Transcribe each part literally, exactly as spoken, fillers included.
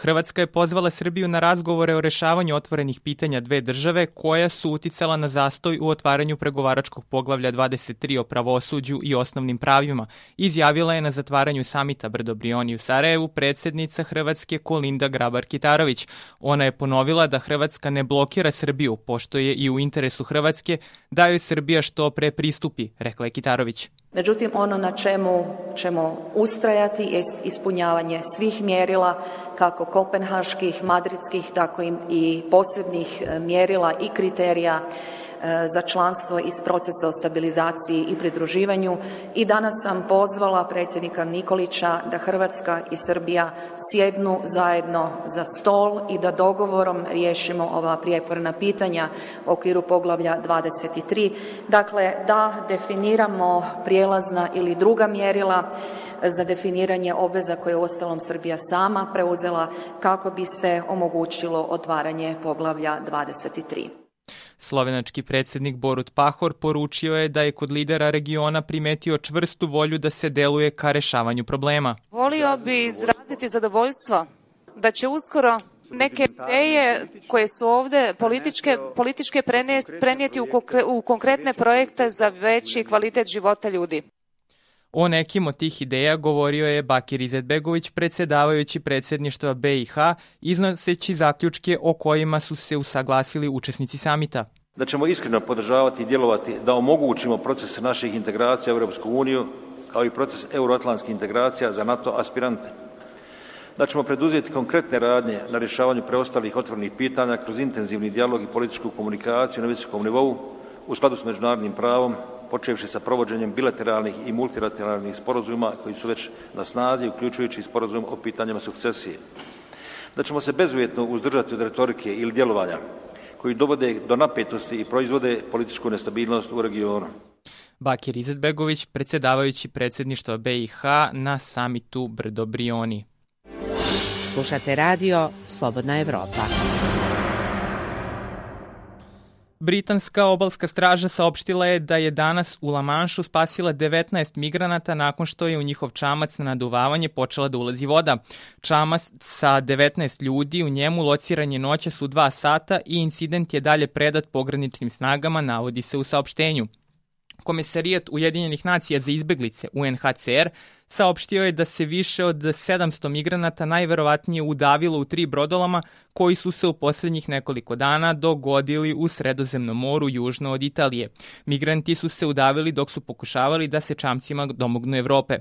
Hrvatska je pozvala Srbiju na razgovore o rešavanju otvorenih pitanja dve države koja su uticala na zastoj u otvaranju pregovaračkog poglavlja dvadeset tri o pravosuđu i osnovnim pravima, izjavila je na zatvaranju samita Brdo-Brioni u Sarajevu predsjednica Hrvatske Kolinda Grabar-Kitarović. Ona je ponovila da Hrvatska ne blokira Srbiju, pošto je i u interesu Hrvatske da joj Srbija što pre pristupi, rekla je Kitarović. Međutim, ono na čemu ćemo ustrajati je ispunjavanje svih mjerila, kako kopenhaških, madridskih, tako i posebnih mjerila i kriterija za članstvo iz procesa o stabilizaciji i pridruživanju i danas sam pozvala predsjednika Nikolića da Hrvatska i Srbija sjednu zajedno za stol i da dogovorom riješimo ova prijeporna pitanja u okviru poglavlja dvadeset tri. Dakle, da definiramo prijelazna ili druga mjerila za definiranje obveza koje je uostalom Srbija sama preuzela kako bi se omogućilo otvaranje poglavlja dvadeset tri. Slovenački predsjednik Borut Pahor poručio je da je kod lidera regiona primetio čvrstu volju da se deluje ka rešavanju problema. Volio bi izraziti zadovoljstvo da će uskoro neke ideje koje su ovdje političke, političke prenijeti u, konkre, u konkretne projekte za veći kvalitet života ljudi. O nekim od tih ideja govorio je Bakir Izetbegović, predsjedavajući predsjedništva be i ha, iznoseći zaključke o kojima su se usaglasili učesnici samita. Da ćemo iskreno podržavati i djelovati da omogućimo proces naših integracija u Europsku uniju, kao i proces euroatlantskih integracija za NATO aspirante. Da ćemo preduzeti konkretne radnje na rješavanju preostalih otvorenih pitanja kroz intenzivni dijalog i političku komunikaciju na visokom nivou u skladu s međunarodnim pravom, počevši sa provođenjem bilateralnih i multilateralnih sporazuma koji su već na snazi, uključujući sporazum o pitanjima sukcesije. Da ćemo se bezuvjetno uzdržati od retorike ili djelovanja koji dovode do napetosti i proizvode političku nestabilnost u regionu. Bakir Izetbegović, predsjedavajući predsjedništva be i ha na samitu Brdo-Brioni. Slušate radio Slobodna Evropa. Britanska obalska straža saopštila je da je danas u La Manšu spasila devetnaest migranata nakon što je u njihov čamac na naduvavanje počela da ulazi voda. Čamac sa devetnaest ljudi u njemu lociran je noćas u dva sata i incident je dalje predat pograničnim snagama, navodi se u saopštenju. Komesarijat Ujedinjenih nacija za izbeglice U N H C R saopštio je da se više od sedamsto migranata najverovatnije udavilo u tri brodolama koji su se u posljednjih nekoliko dana dogodili u Sredozemnom moru južno od Italije. Migranti su se udavili dok su pokušavali da se čamcima domognu Evrope.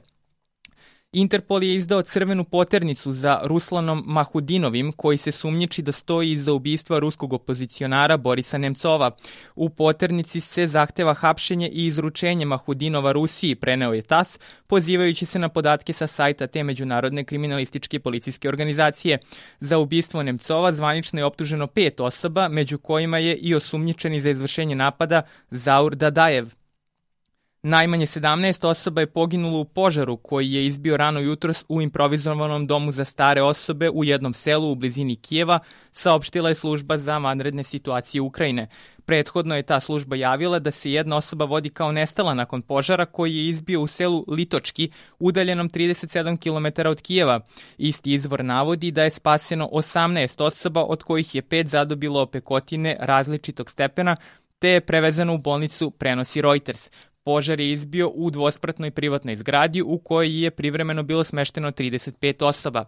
Interpol je izdao crvenu poternicu za Ruslanom Mahudinovim, koji se sumnjiči da stoji iza ubistva ruskog opozicionara Borisa Nemcova. U poternici se zahteva hapšenje i izručenje Mahudinova Rusiji, preneo je tas, pozivajući se na podatke sa sajta te međunarodne kriminalističke policijske organizacije. Za ubistvo Nemcova zvanično je optuženo pet osoba, među kojima je i osumnjičeni za izvršenje napada Zaur Dadajev. Najmanje sedamnaest osoba je poginulo u požaru koji je izbio rano jutros u improvizovanom domu za stare osobe u jednom selu u blizini Kijeva, saopštila je služba za vanredne situacije Ukrajine. Prethodno je ta služba javila da se jedna osoba vodi kao nestala nakon požara koji je izbio u selu Litočki, udaljenom trideset sedam kilometara od Kijeva. Isti izvor navodi da je spaseno osamnaest osoba, od kojih je pet zadobilo opekotine različitog stepena, te je prevezano u bolnicu, prenosi Reuters. Požar je izbio u dvospratnoj privatnoj zgradi u kojoj je privremeno bilo smešteno trideset pet osoba.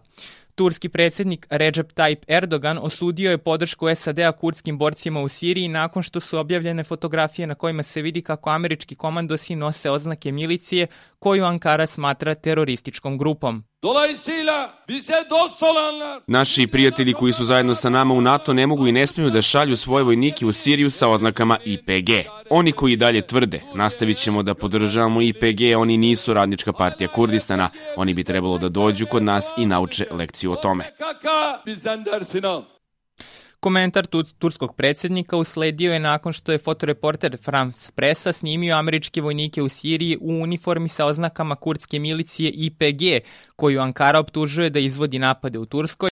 Turski predsjednik Recep Tayyip Erdogan osudio je podršku S A D-a kurdskim borcima u Siriji nakon što su objavljene fotografije na kojima se vidi kako američki komandosi nose oznake milicije koju Ankara smatra terorističkom grupom. Naši prijatelji koji su zajedno sa nama u NATO ne mogu i ne smiju da šalju svoje vojnike u Siriju sa oznakama I P G. Oni koji dalje tvrde, nastavit ćemo da podržavamo I P G, oni nisu Radnička partija Kurdistana, oni bi trebalo da dođu kod nas i nauče lekciju o tome. Komentar turskog predsjednika usledio je nakon što je fotoreporter France Pressa snimio američke vojnike u Siriji u uniformi sa oznakama kurdske milicije I P G, koju Ankara optužuje da izvodi napade u Turskoj,